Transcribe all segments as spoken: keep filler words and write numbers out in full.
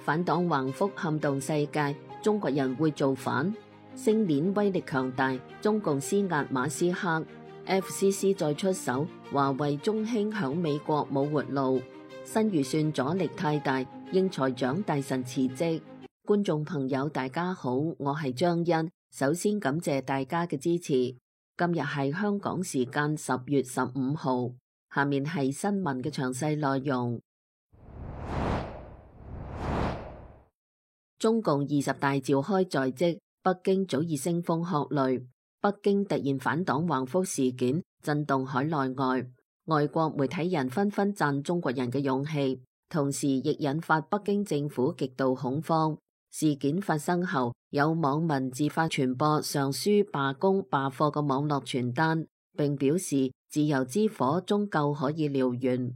反黨橫幅撼動世界，中國人會造反？星鏈威力強大，中共施壓馬斯克 ，F C C 再出手，華為、中興響美國冇活路，新預算阻力太大，應財長大臣辭職。觀眾朋友大家好，我係張欣，首先感謝大家嘅支持。今日係香港時間十月十五號，下面係新聞嘅詳細內容。中共二十大召開在即，北京早已腥風鶴唳。北京突然反黨橫幅事件震動海內外，外國媒體人紛紛讚中國人嘅勇氣，同時亦引發北京政府極度恐慌。事件發生後，有網民自發傳播上書罷工罷課嘅網絡傳單，並表示自由之火終究可以燎原。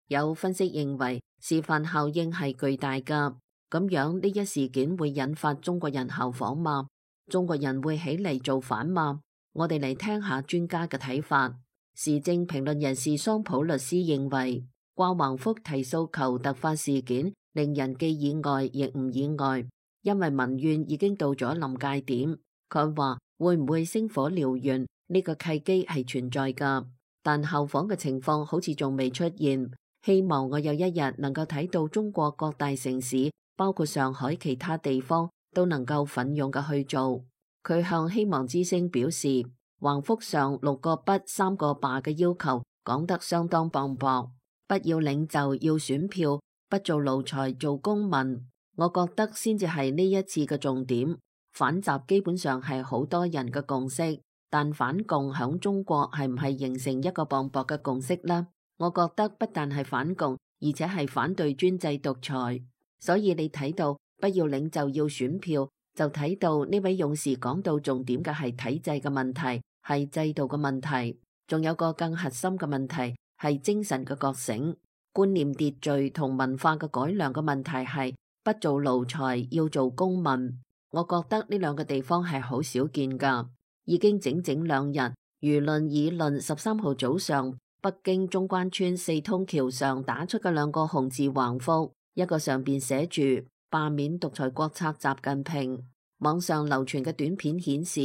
有分析認為，示範效應係巨大㗎。咁樣呢一事件會引發中國人效仿嗎？中國人會起嚟造反嗎？我哋嚟聽下專家嘅睇法。時政評論人士桑普律師認為，掛橫幅提訴求突發事件令人既意外亦唔意外，因為民怨已經到咗臨界點。佢話會唔會星火燎原呢個契機係存在㗎，但效仿嘅情況好似仲未出現。希望我有一日能夠睇到中國各大城市，包括上海其他地方都能夠奮勇嘅去做。佢向希望之聲表示，橫幅上六個不三個罷嘅要求講得相當磅礴，不要領袖要選票，不做奴才做公民。我覺得先至係呢一次嘅重點。反習基本上係好多人嘅共識，但反共響中國係唔係形成一個磅礴嘅共識呢？我覺得不但係反共，而且係反對專制獨裁。所以你睇到不要領袖要選票，就睇到呢位勇士講到重點嘅係體制嘅問題，係制度嘅問題，仲有個更核心嘅問題係精神嘅覺醒、觀念秩序同文化嘅改良嘅問題係不做奴才要做公民。我覺得呢兩個地方係好少見㗎。已經整整兩日，輿論議論十三號早上北京中關村四通橋上打出嘅兩個紅字橫幅。一個上邊寫住罷免獨裁國策習近平。網上流傳嘅短片顯示，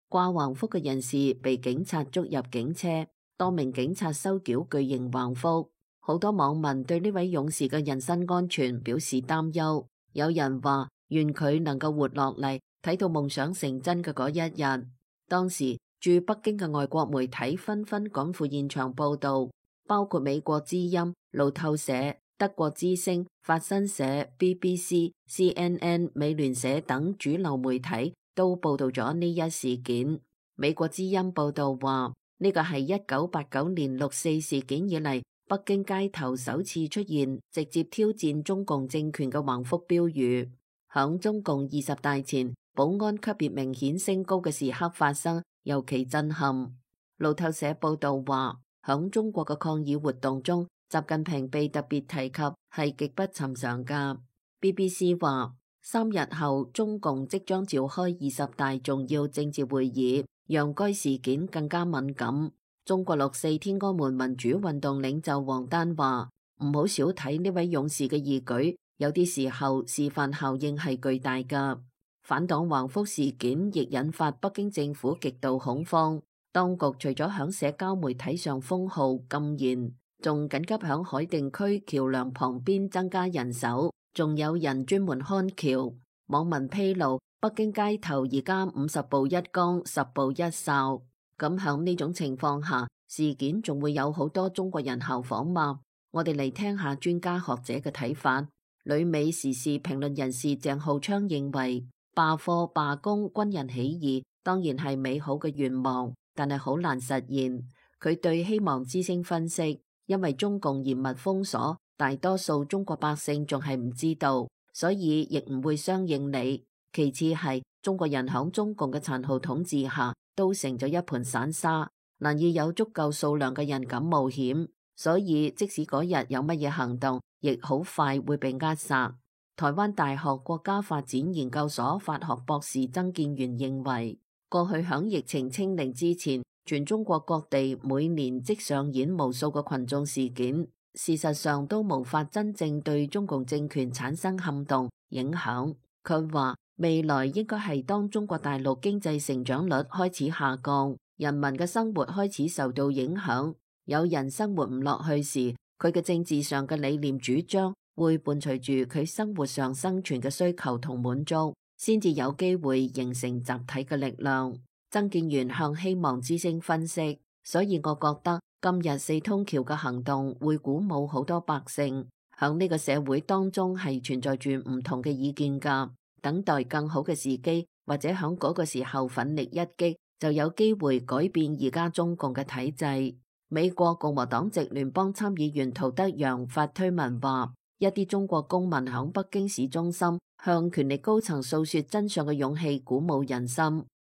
掛橫幅嘅人士被警察捉入警車，多名警察收繳巨型橫幅。好多網民對呢位勇士嘅人身安全表示擔憂。有人話願佢能夠活落嚟，睇到夢想成真嘅嗰一日。當時駐北京嘅外國媒體紛紛趕赴現場報道，包括美國之音、路透社、德國之聲、法新社、B B C、C N N、美聯社等主流媒體都報道咗呢一事件。美國之音報道話，呢個係一九八九年六四事件以嚟，北京街頭首次出現直接挑戰中共政權嘅橫幅標語。響中共二十大前，保安級別明顯升高嘅時刻發生，尤其震撼。路透社報道話，響中國嘅抗議活動中，習近平被特別提及係極不尋常㗎。B B C 話，三日後中共即將召開二十大重要政治會議，讓該事件更加敏感。中國六四天安門民主運動領袖王丹話，唔好少睇呢位勇士嘅義舉，有啲時候示範效應係巨大㗎。反黨橫幅事件亦引發北京政府極度恐慌，當局除咗響社交媒體上封號禁言，仲緊急響海淀區橋梁旁邊增加人手，仲有人專門看橋。網民披露，北京街頭而家五十步一崗，十步一哨。咁響呢種情況下，事件仲會有好多中國人效仿嗎？我哋嚟聽下專家學者嘅睇法。旅美時事評論人士鄭浩昌認為，罷課罷工軍人起義當然係美好嘅願望，但係好難實現。佢對希望之聲分析，因為中共嚴密封鎖，大多數中國百姓仲係唔知道，所以亦唔會相應你。其次係中國人響中共嘅殘酷統治下都成咗一盤散沙，難以有足夠數量嘅人敢冒險，所以即使嗰日有乜嘢行動，亦好快會被扼殺。台灣大學國家發展研究所法學博士曾建元認為，過去響疫情清零之前，全中國各地每年即上演無數個群眾事件，事實上都無法真正對中共政權產生撼動影響。佢話未來應該係當中國大陸經濟成長率開始下降，人民嘅生活開始受到影響，有人生活唔落去時，佢嘅政治上嘅理念主張會伴隨住佢生活上生存嘅需求同滿足，先至有機會形成集體嘅力量。曾建元向希望之聲分析，所以我覺得今日四通橋嘅行動會鼓舞好多百姓，響呢個社會當中係存在住唔同嘅意見㗎，等待更好嘅時機，或者響嗰個時候奮力一擊，就有機會改變而家中共嘅體制。美國共和黨籍聯邦參議員陶德陽發推文話，一啲中國公民響北京市中心向權力高層訴說真相嘅勇氣鼓舞人心。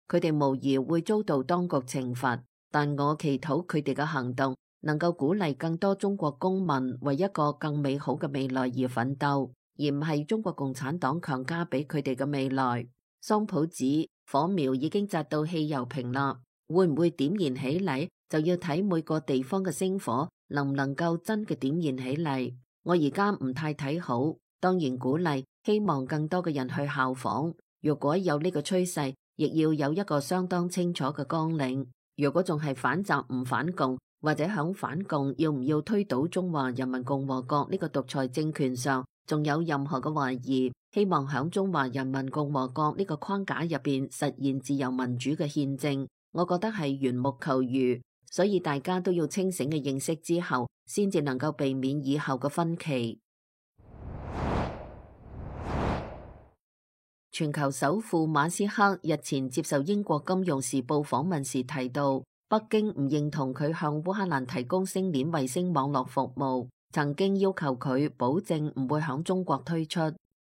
佢哋無疑會遭到當局懲罰，但我祈禱佢哋嘅行動能夠鼓勵更多中國公民為一個更美好嘅未來而奮鬥，而唔係中國共產黨強加俾佢哋嘅未來。桑普指火苗已經扎到汽油瓶啦，會唔會點燃起嚟就要睇每個地方嘅星火能唔能夠真嘅點燃起嚟。我而家唔太睇好，當然鼓勵希望更多嘅人去效仿。如果有呢個趨勢，亦要有一個相當清楚嘅綱領。如果仲係反習唔反共，或者響反共要唔要推倒中華人民共和國呢個獨裁政權上，仲有任何嘅懷疑，希望響中華人民共和國呢個框架入邊實現自由民主嘅憲政，我覺得係緣木求魚。所以大家都要清醒嘅認識之後，先至能夠避免以後嘅分歧。全球首富馬斯克日前接受英國金融時報訪問時提到，北京唔認同佢向烏克蘭提供星鏈衛星網絡服務，曾經要求佢保證唔會響中國推出。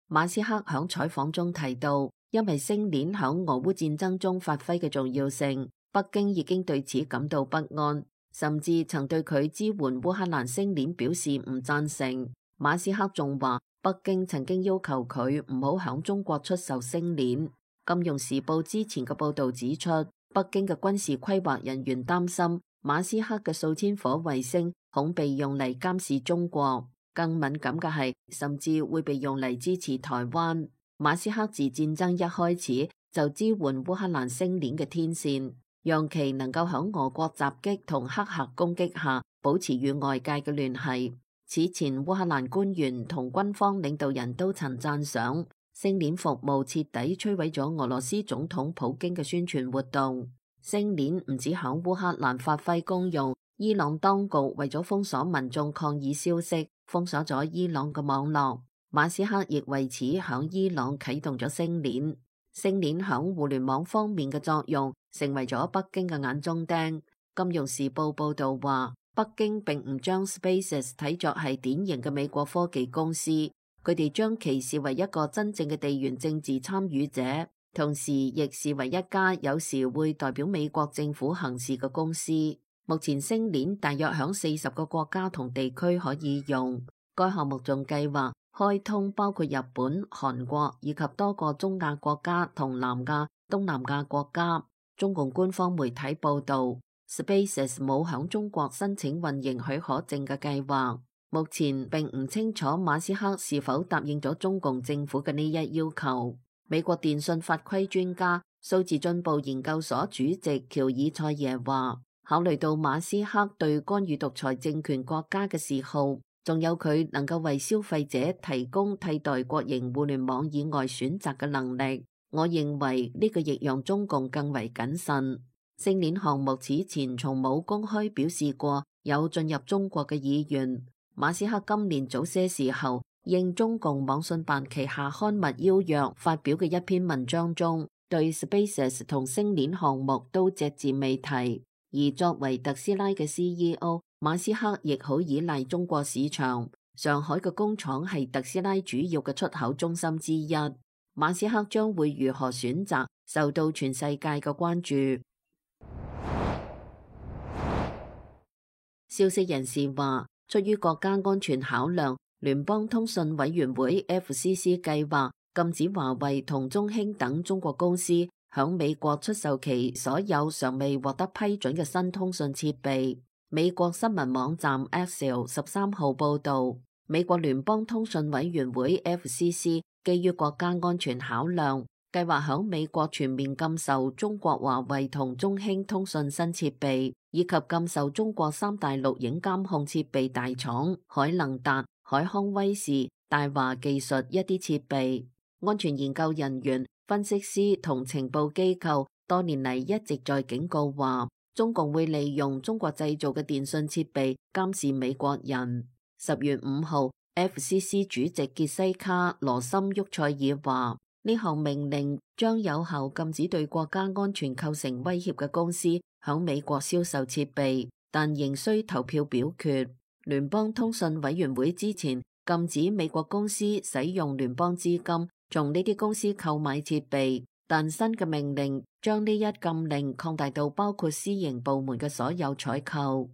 馬斯克響採訪中提到，因為星鏈響俄烏戰爭中發揮嘅重要性，北京已經對此感到不安，甚至曾對佢支援烏克蘭星鏈表示唔贊成。馬斯克仲話，北京曾經要求佢唔好響中國出售星鏈。金融時報之前嘅報道指出，北京嘅軍事規劃人員擔心馬斯克嘅數千顆衛星恐被用嚟監視中國，更敏感嘅係甚至會被用嚟支持台灣。馬斯克自戰爭一開始就支援烏克蘭星鏈嘅天線，讓其能夠響俄國襲擊同黑客攻擊下保持與外界嘅聯繫。此前烏克蘭官員同軍方領導人都曾讚賞星鏈服務徹底摧毀咗俄羅斯總統普京嘅宣傳活動。星鏈唔止響烏克蘭發揮功用，伊朗當局為咗封鎖民眾抗議消息，封鎖咗伊朗嘅網絡。馬斯克亦為此響伊朗啟動咗星鏈。星鏈響互聯網方面嘅作用，成為咗北京嘅眼中釘。金融時報報道話，北京並唔將 SpaceX 睇作係典型嘅美國科技公司，佢哋將其視為一個真正嘅地緣政治參與者，同時亦視為一家有時會代表美國政府行事嘅公司。目前星鏈大約響四十個國家同地區可以用，該項目仲計劃開通包括日本、韓國以及多個中亞國家同南亞、東南亞國家。中共官方媒體報道，SpaceX 冇響中國申請運營許可證嘅計劃，目前並唔清楚馬斯克是否答應咗中共政府嘅呢一要求。美國電信法規專家、數字進步研究所主席喬爾塞耶話，考慮到馬斯克對干預獨裁政權國家嘅嗜好，仲有佢能夠為消費者提供替代國營互聯網以外選擇嘅能力，我認為呢個亦讓中共更為謹慎。星鏈項目此前從冇公開表示過有進入中國嘅意願。馬斯克今年早些時候應中共網信辦旗下刊物邀約發表嘅一篇文章中，對 SpaceX 同星鏈項目都隻字未提。而作為特斯拉嘅 C E O， 馬斯克亦好依賴中國市場，上海嘅工廠係特斯拉主要嘅出口中心之一。馬斯克將會如何選擇，受到全世界嘅關注。消息人士話，出於國家安全考量，聯邦通訊委員會 F C C 計劃禁止華為同中興等中國公司響美國出售其所有尚未獲得批准嘅新通訊設備。美國新聞網站 Axios 十三號報導，美國聯邦通訊委員會 F C C 基於國家安全考量，計劃響美國全面禁售中國華為同中興通訊新設備，以及禁售中國三大錄影監控設備大廠海能達、海康威視、大華技術一啲設備。安全研究人員、分析師同情報機構多年嚟一直在警告話，中共會利用中國製造嘅電信設備監視美國人。十月五號 F C C 主席傑西卡羅森沃塞爾話，呢項命令將有效禁止對國家安全構成威脅嘅公司響美國銷售設備，但仍需投票表決。聯邦通訊委員會之前禁止美國公司使用聯邦資金從呢啲公司購買設備，但新嘅命令將呢一禁令擴大到包括私營部門嘅所有採購。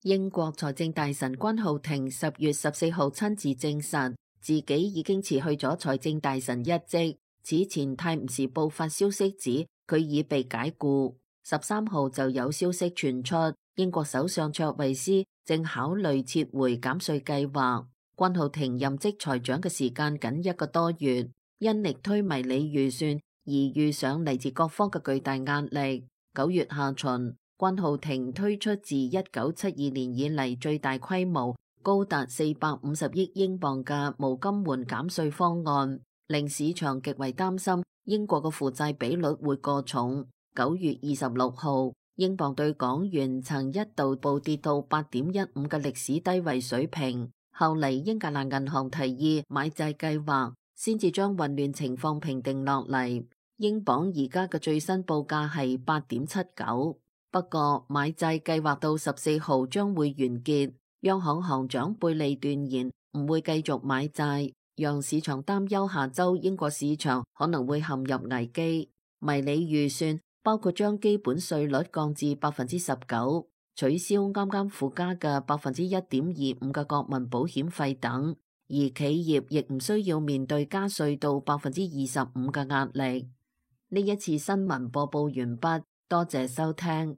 英國財政大臣關浩庭十月十四號親自證實自己已經辭去咗財政大臣一職。此前《泰晤士報》發消息指佢已被解僱。十三號就有消息傳出，英國首相卓慧思正考慮撤回減稅計劃。關浩庭任職財長嘅時間僅一個多月，因力推迷你預算而遇上嚟自各方嘅巨大壓力。九月下旬，關浩庭推出自一九七二年以嚟最大規模、高達四百五十億英鎊嘅無金援減稅方案，令市場極為擔心英國嘅負債比率會過重。九月二十六號，英鎊對港元曾一度暴跌到八點一五嘅歷史低位水平。後嚟英格蘭銀行提議買債計劃，先至將混亂情況平定落嚟。英鎊而家嘅最新報價係八點七九。不過買債計劃到十四號將會完結。央行行長貝利斷言唔會繼續買債，讓市場擔憂下周英國市場可能會陷入危機。迷你預算包括將基本稅率降至百分之十九，取消啱啱附加嘅百分之一點二五嘅國民保險費等，而企業亦唔需要面對加稅到百分之二十五嘅壓力。呢一次新聞播報完畢，多謝收聽。